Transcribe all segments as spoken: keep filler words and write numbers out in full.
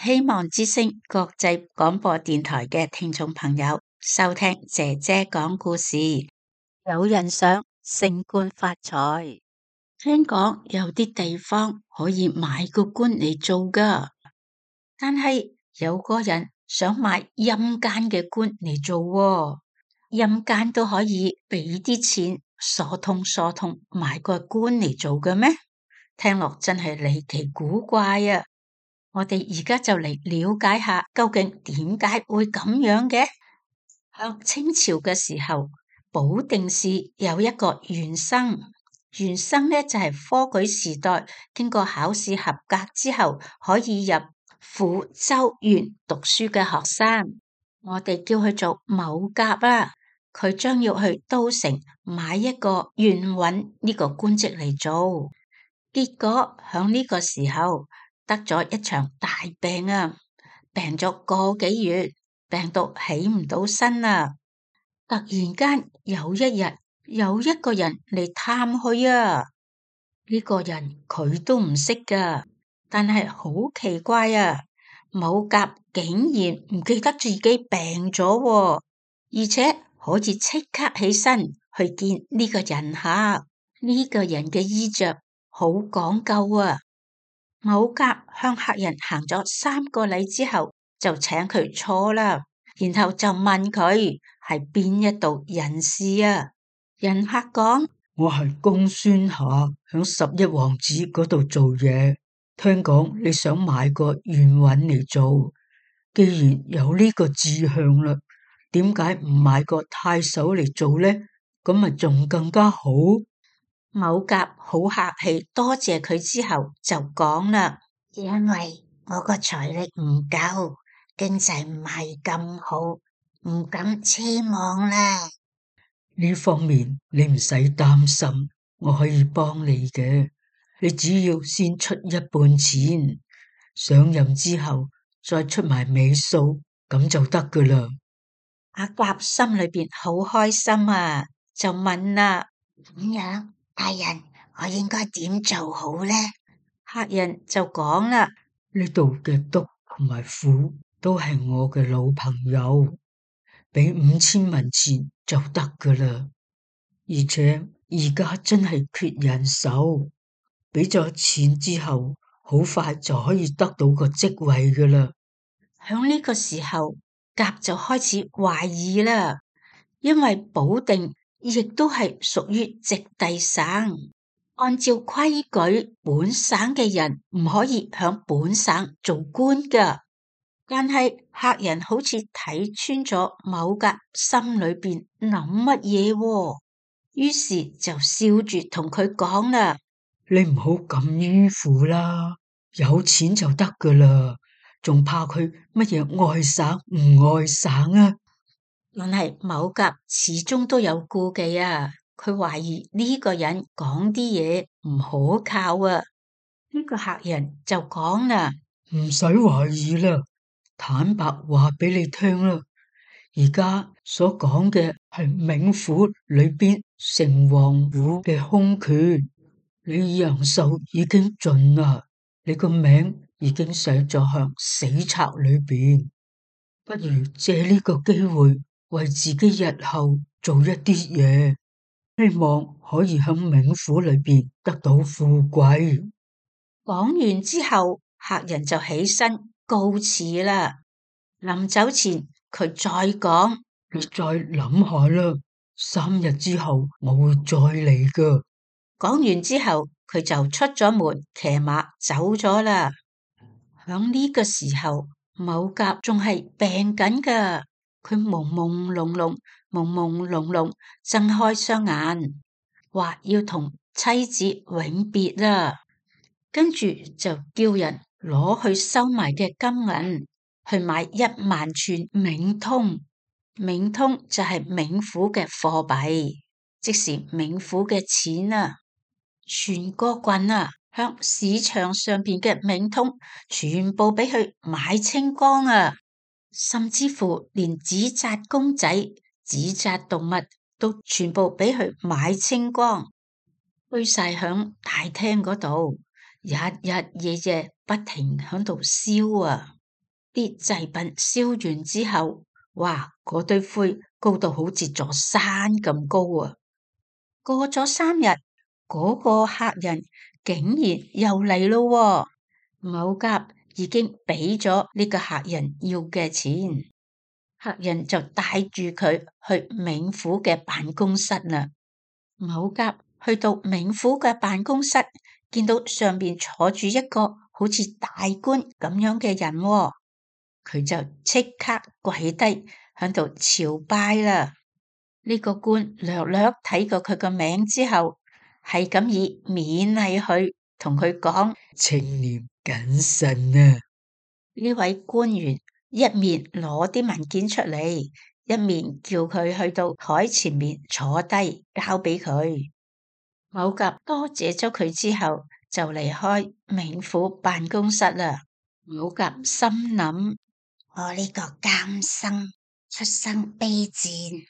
希望之聲國際廣播電台嘅聽眾朋友收聽姐姐講故事。有人想升官發財，聽講有啲地方可以買個官嚟做㗎，但係有個人想買陰間嘅官嚟做喎，陰間都可以俾啲錢疏通疏通買個官嚟做嘅咩？聽落真係離奇古怪啊！我哋而家就嚟了解下究竟點解會咁樣嘅。響清朝嘅時候，保定市有一個員生，員生呢就係科舉時代經過考試合格之後可以入府州縣讀書嘅學生，我哋叫佢做某甲啦。佢將要去都城買一個縣尹呢個官職嚟做，結果響呢個時候得咗一場大病啊，病咗個幾月，病到起唔到身啊。突然間有一日有一個人嚟探佢啊，呢個人佢都唔識噶，但係好奇怪啊，某甲竟然唔記得自己病咗喎，而且可以即刻起身去見呢個人客。呢個人嘅衣着好講究啊。某甲向客人行咗三個禮之後，就請佢坐啦，然後就問佢係邊一度人士啊？人客講：我係公孫夏，響十一王子嗰度做嘢，聽講你想買個縣尹嚟做，既然有呢個志向啦，點解唔買個太守嚟做呢？咁咪仲更加好。某甲好客氣，多謝佢之後就講啦：因為我個財力唔夠，經濟唔係咁好，唔敢奢望啦。呢方面你唔使擔心，我可以幫你嘅。你只要先出一半錢，上任之後再出埋尾數，咁就得噶啦。阿甲心裏邊好開心啊，就問啦：咁樣，大人，我應該點做好呢？客人就講啦：呢度嘅督同埋府都係我嘅老朋友，俾五千文錢就得噶啦。而且而家真係缺人手，俾咗錢之後，好快就可以得到個職位噶啦。響呢個時候，甲就開始懷疑啦，因為保定亦都係屬於直隸省，按照規矩，本省嘅人唔可以響本省做官噶。但係客人好似睇穿咗某甲心裏邊諗乜嘢，於是就笑住同佢講啦：你唔好咁迂腐啦，有錢就得噶啦，仲怕佢乜嘢外省唔外省啊？但係某甲始終都有顧忌啊，佢懷疑呢個人講啲嘢唔可靠啊。呢個客人就講啦：唔使懷疑啦，坦白話俾你聽啦，而家所講嘅係冥府裏邊城隍府嘅空缺，你陽壽已經盡啦，你個名已經寫咗向死冊裏邊，不如借呢個機會為自己日後做一啲嘢，希望可以喺冥府裏邊得到富貴。講完之後，客人就起身告辭啦。臨走前，佢再講：你再諗下啦，三日之後我會再嚟噶。講完之後，佢就出咗門，騎馬走咗啦。響呢個時候，某甲仲係病緊噶，佢朦朦朧朧、朦朦朧朧睜開雙眼，話要同妻子永別啦。跟住就叫人攞去收埋嘅金銀去買一萬串冥通，冥通就係冥府嘅貨幣，即是冥府嘅錢啊！全個郡啊，向市場上邊嘅冥通全部俾佢買清光啊！甚至乎連紙紮公仔、紙紮動物都全部俾佢買清光，堆晒響大廳嗰度。日日夜夜不停響度燒啊！啲祭品燒完之後，哇，嗰堆灰高到好似座山咁高啊！過咗三日，嗰個客人竟然又嚟咯喎。某甲已經俾咗呢個客人要嘅錢，客人就帶住佢去冥府嘅辦公室啦。某甲去到冥府嘅辦公室，見到上面坐住一個好似大官咁樣嘅人喎，佢就即刻跪低響度朝拜啦。呢個官略略睇過佢個名之後，係咁以勉勵佢，同佢講：清廉謹慎啊！呢位官員一面攞啲文件出嚟，一面叫佢去到台前面坐低，交俾佢。某甲多謝咗佢之後，就離開冥府辦公室啦。某甲心諗：我呢個監生出身卑賤，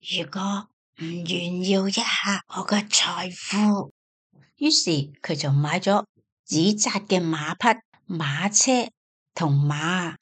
如果唔炫耀一下我嘅財富，於是佢就買咗紙紮嘅馬匹、馬車同馬，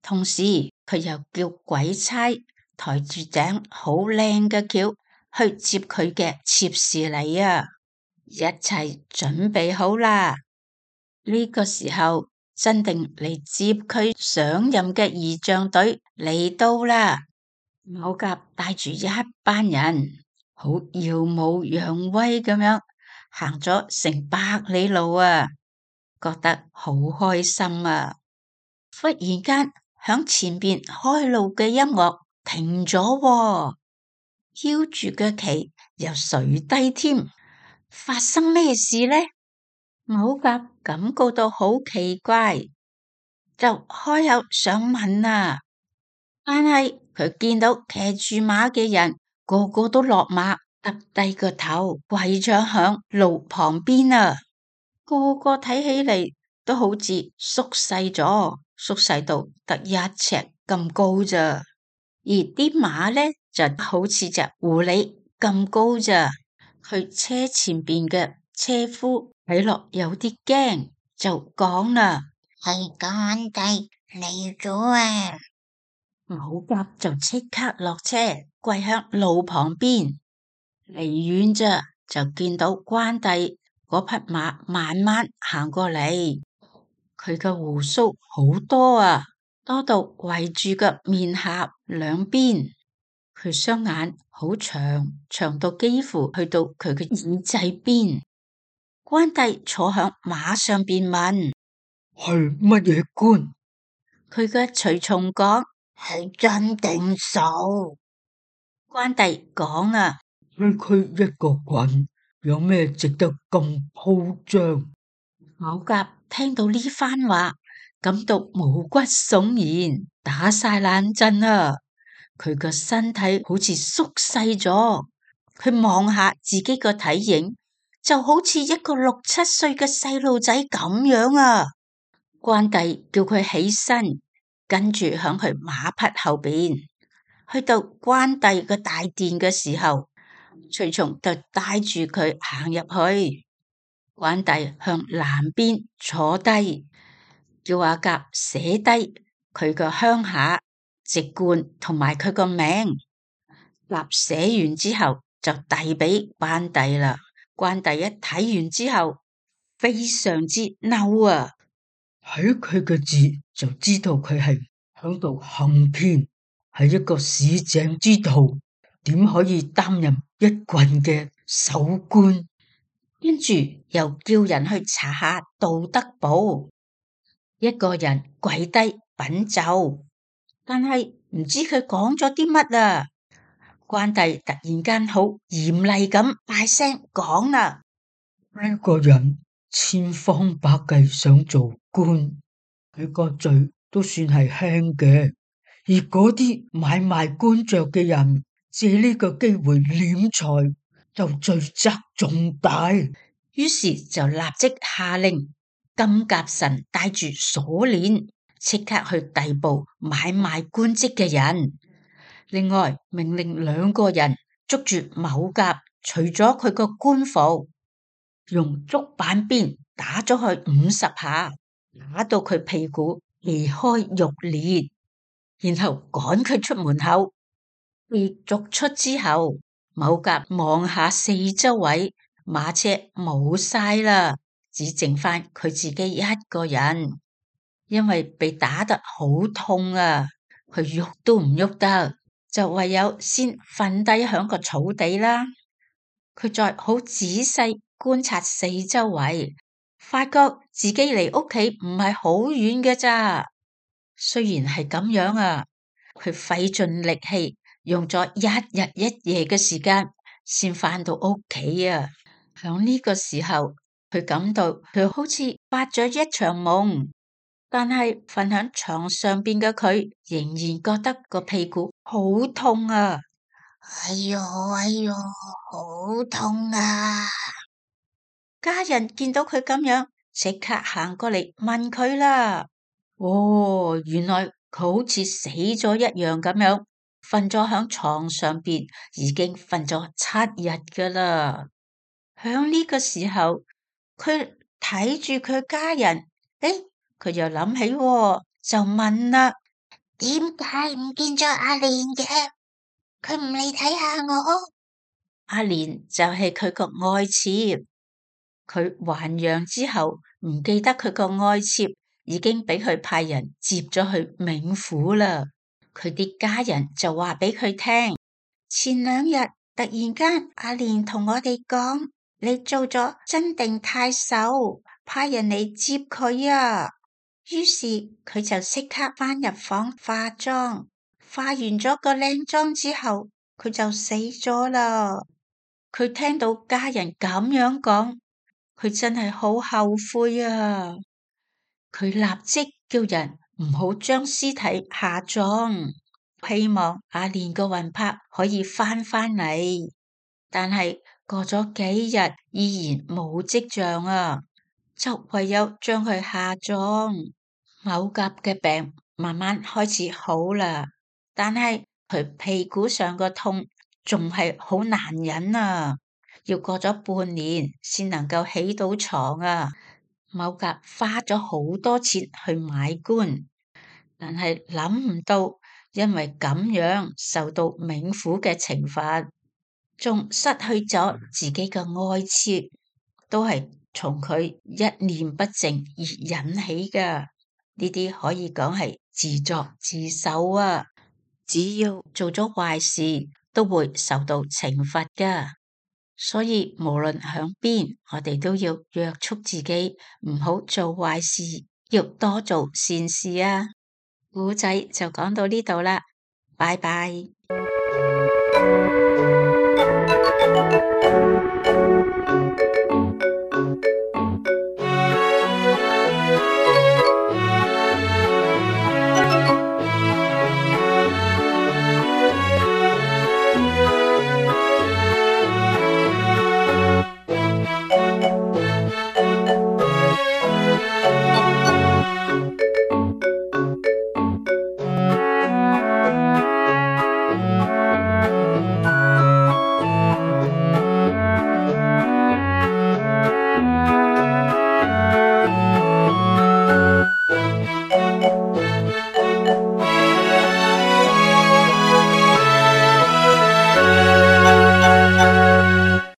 同時佢又叫鬼差抬住頂好靚嘅轎去接佢嘅妾侍嚟啊！一切準備好啦，呢個時候真定嚟接佢上任嘅儀仗隊嚟到啦。某甲帶住一班人，好耀武揚威咁樣行咗成百里路啊，覺得好開心啊！忽然間響前邊開路嘅音樂停咗喎，飄住嘅旗又垂低添，發生咩事呢？某甲感覺到好奇怪，就開口想問啊，但係佢見到騎住馬嘅人個個都落馬，耷低個頭跪咗響路旁邊啊，個個睇起嚟都好似縮細咗，縮細到得一尺咁高咋，而啲馬呢就好似隻狐狸咁高咋。佢車前邊嘅車夫睇落有啲驚，就講啦：係干地嚟咗啊！某甲就即刻落車，跪響路旁邊，離遠咋就見到關帝嗰匹馬慢慢行過嚟，佢嘅鬍鬚好多啊，多到圍住個面頰兩邊。佢雙眼好長，長到幾乎去到佢嘅耳仔邊。關帝坐響馬上邊問：係乜嘢官？佢嘅隨從講：係真定數？關帝講啊：區區一個郡，有咩值得咁鋪張？某甲聽到呢番話，感到毛骨悚然，打晒冷震啊！佢個身體好似縮細咗，佢望下自己個體型，就好似一個六七歲嘅細路仔咁樣啊！關帝叫佢起身，跟住響佢馬匹後邊，去到關帝個大殿嘅時候，隨從就帶住佢行入去。關帝向南邊坐低，叫阿甲寫低佢個鄉下、籍貫同埋佢個名。甲寫完之後就遞俾關帝啦。關帝一睇完之後，非常之嬲啊！睇佢嘅字就知道佢係響度行騙，係一個市井之徒，點可以擔任一郡嘅守官？跟住又叫人去查下道德簿，一個人跪低稟奏，但係唔知佢講咗啲乜啊！關帝突然間好嚴厲咁大聲講啦：呢個人千方百計想做官，佢個罪都算係輕嘅，而嗰啲買賣官爵嘅人借呢個機會斂財，就罪責重大。於是就立即下令金甲神帶住鎖鏈，即刻去逮捕買賣官職嘅人。另外命令兩個人捉住某甲，除咗佢個官服，用竹板鞭打咗佢五十下，打到佢屁股離開玉蓮，然後趕佢出門口。被逐出之後，某甲望下四周圍，馬車冇晒啦，只剩翻佢自己一個人。因為被打得好痛啊，佢喐都唔喐得，就唯有先瞓低響個草地啦。佢再好仔細觀察四周圍，發覺自己離屋企唔係好遠嘅咋。雖然係咁樣啊，佢費盡力氣，用咗一日一夜嘅時間，先返到屋企啊。響呢個時候，佢感到佢好似發咗一場夢。但係瞓喺床上邊嘅佢，仍然覺得個屁股好痛啊！哎喲哎喲，好痛啊！家人見到佢咁樣，即刻行過嚟問佢啦。哦，原來佢好似死咗一樣咁樣，瞓咗喺床上邊，已經瞓咗七日噶啦。響呢個時候，佢睇住佢家人，誒。佢又諗起，就問啦：點解唔見咗阿蓮嘅？佢唔嚟睇下我。阿蓮就係佢個愛妾，佢還陽之後唔記得佢個愛妾已經俾佢派人接咗去冥府啦。佢啲家人就話俾佢聽：前兩日突然間，阿蓮同我哋講，你做咗真定太守，派人嚟接佢啊！於是佢就即刻返入房化妝，化完咗個靚妝之後，佢就死咗啦。佢聽到家人咁樣講，佢真係好後悔啊！佢立即叫人唔好將屍體下葬，希望阿蓮個魂魄可以返返嚟。但係過咗幾日，依然冇跡象啊！就唯有將佢下葬。某甲嘅病慢慢開始好啦，但係佢屁股上個痛仲係好難忍啊！要過咗半年先能夠起到床啊！某甲花咗好多錢去買棺，但係諗唔到，因為咁樣受到冥府嘅懲罰，仲失去咗自己嘅愛妾，都係從佢一念不正而引起㗎。呢啲可以講係自作自受啊！只要做咗壞事，都會受到懲罰㗎。所以無論響邊，我哋都要約束自己，唔好做壞事，要多做善事啊！故仔就講到呢度啦，拜拜。